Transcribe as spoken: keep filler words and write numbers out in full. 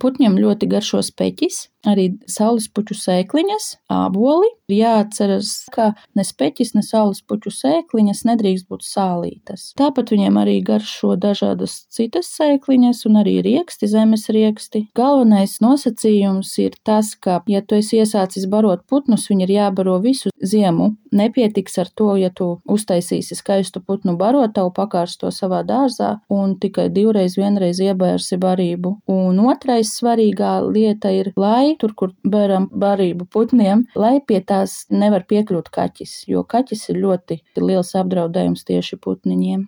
Putņiem ļoti garšo speķis, arī saulespuķu sēkliņas, āboli. Jāatceras, ka ne speķis, ne saulespuķu sēkliņas nedrīkst būt sālītas. Tāpat viņiem arī garšo dažādas citas sēkliņas un arī rieksti, zemes rieksti. Galvenais nosacījums ir tas, ka, ja tu esi iesācis barot putnus, viņi ir jābaro visu ziemu. Nepietiks ar to, ja tu uztaisīsi skaistu putnu barotavu, pakārsi to savā dārzā un tikai divreiz, vienreiz iebērsi barību. Un otrais svarīgā lieta ir, lai tur, kur bēram barību putniem, lai pie tās nevar piekļūt kaķis, jo kaķis ir ļoti liels apdraudējums tieši putniņiem.